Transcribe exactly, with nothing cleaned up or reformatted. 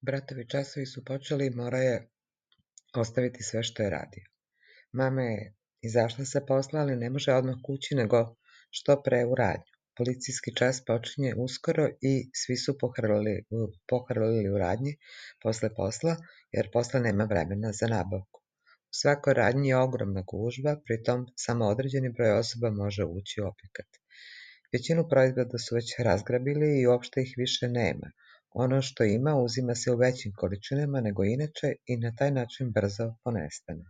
Bratovi časovi su počeli i morao je ostaviti sve što je radio. Mama je izašla sa posla, ali ne može odmah kući, nego što pre u radnju. Policijski čas počinje uskoro i svi su pohrlili, pohrlili u radnji posle posla, jer posle nema vremena za nabavku. U svakoj radnji je ogromna gužva, pritom samo određeni broj osoba može ući u objekat. Većinu proizvoda su već razgrabili i uopšte ih više nema. Ono što ima uzima se u većim količinama nego inače i na taj način brzo ponestane.